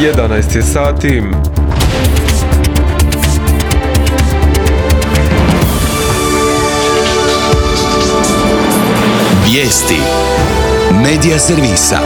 11 je sati. Vijesti Medija servisa.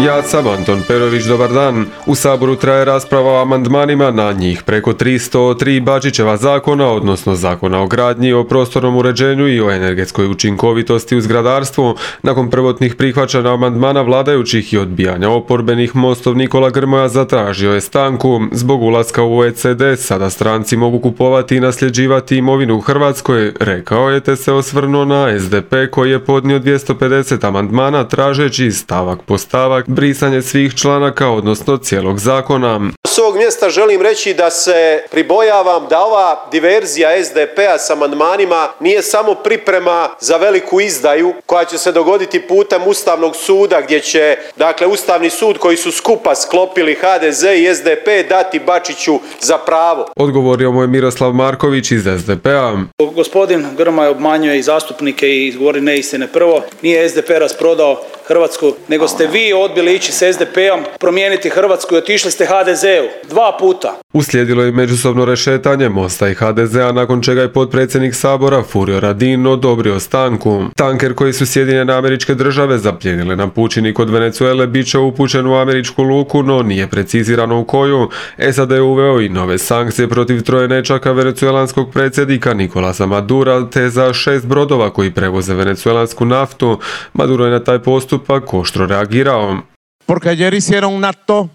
Ja sam Anton Perović, dobar dan. U Saboru traje rasprava o amandmanima na njih preko 303 Bačićeva zakona, odnosno zakona o gradnji, o prostornom uređenju i o energetskoj učinkovitosti u zgradarstvu. Nakon prvotnih prihvaćanja amandmana vladajućih i odbijanja oporbenih, Mostov Nikola Grmoja zatražio je stanku. Zbog ulaska u OECD sada stranci mogu kupovati i nasljeđivati imovinu u Hrvatskoj, rekao je, te se osvrnuo na SDP koji je podnio 250 amandmana tražeći stavak po stavak brisanje svih članaka, odnosno cijelog zakona. S ovog mjesta želim reći da se pribojavam da ova diverzija SDP-a s amandmanima nije samo priprema za veliku izdaju koja će se dogoditi putem Ustavnog suda, gdje će, dakle, Ustavni sud koji su skupa sklopili HDZ i SDP dati Bačiću za pravo. Odgovorio mu je Miroslav Marković iz SDP-a. Gospodin Grmoja obmanjuje i zastupnike i govori neistine. Prvo, nije SDP rasprodao Hrvatsku, nego ste vi odbili ići s SDP-om, promijeniti Hrvatsku i otišli ste HDZ-u 2 puta. Uslijedilo je međusobno rešetanje Mosta i HDZ-a, nakon čega je potpredsjednik Sabora Furio Radin odobrio stanku. Tanker koji su Sjedinjene Američke Države zapljenile na pučini kod Venezuele bit će upućen u američku luku, no nije precizirano u koju. SAD je uveo i nove sankcije protiv 3 nečaka venezuelanskog predsjednika Nicolasa Madura, te za 6 brodova koji prevoze venezuelansku naftu. Maduro je na taj postupak oštro reagirao.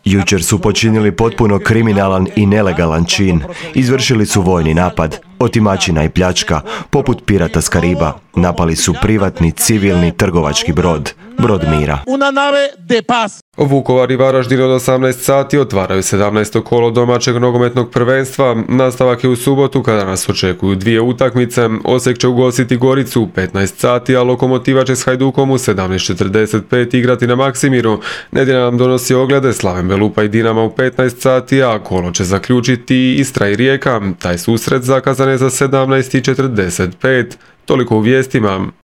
Jučer su počinili potpuno kriminalan i nelegalan čin. Izvršili su vojni napad, otimačina i pljačka, poput pirata s Kariba. Napali su privatni, civilni, trgovački brod mira. Vukovar i Varaždin od 18 sati otvaraju 17. kolo domaćeg nogometnog prvenstva. Nastavak je u subotu kada nas očekuju 2 utakmice. Osijek će ugostiti Goricu u 15 sati, a Lokomotiva će s Hajdukom u 17:45 igrati na Maksimiru. Nedjelja nam donosi oglede Slaven Belupa i Dinama u 15 sati, a kolo će zaključiti Istra i Rijeka. Taj susret zakazan je za 17:45. Toliko u vijestima.